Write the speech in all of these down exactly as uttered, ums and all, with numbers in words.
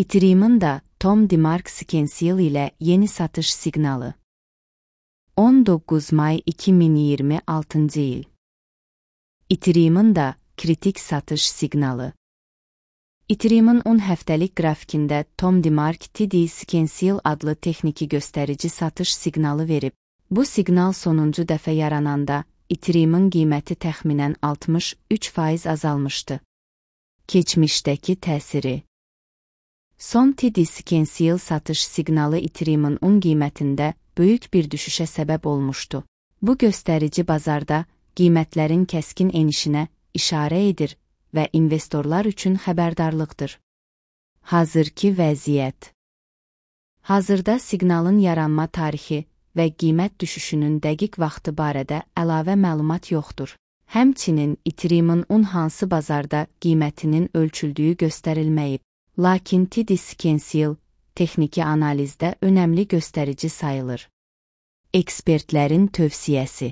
Ethereum'un da Tom DeMark Scansil ile yeni satış signalı. on dokuz May iki bin iyirmi altıncı yıl. Ethereum'un da kritik satış signalı. Ethereum'un on həftəlik qrafikində Tom DeMark T D Scansil adlı texniki göstərici satış siqnalı verib. Bu siqnal sonuncu dəfə yarananda Ethereum'un qiyməti təxminən altmış üç faiz azalmışdı. Keçmişdəki təsiri. Son T D Scansil satış siqnalı Ethereum'un on qiymətində böyük bir düşüşə səbəb olmuşdu. Bu göstərici bazarda qiymətlərin kəskin enişinə işarə edir və investorlar üçün xəbərdarlıqdır. Hazırki vəziyyət. Hazırda siqnalın yaranma tarixi və qiymət düşüşünün dəqiq vaxtı barədə əlavə məlumat yoxdur. Həmçinin Ethereum'un on hansı bazarda qiymətinin ölçüldüyü göstərilməyib. Lakin T D Scansil texniki analizdə önəmli göstərici sayılır. Ekspertlərin tövsiyəsi.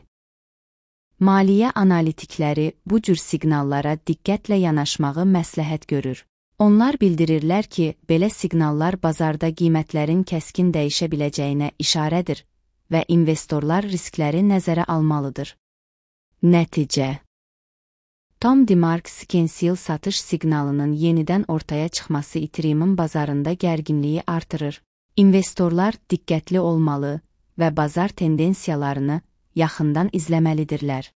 Maliyyə analitikləri bu cür siqnallara diqqətlə yanaşmağı məsləhət görür. Onlar bildirirlər ki, belə siqnallar bazarda qiymətlərin kəskin dəyişə biləcəyinə işarədir və investorlar riskləri nəzərə almalıdır. Nəticə. Tom DeMark Scansil satış siqnalının yenidən ortaya çıxması Ethereum'un bazarında gərginliyi artırır. İnvestorlar diqqətli olmalı və bazar tendensiyalarını yaxından izləməlidirlər.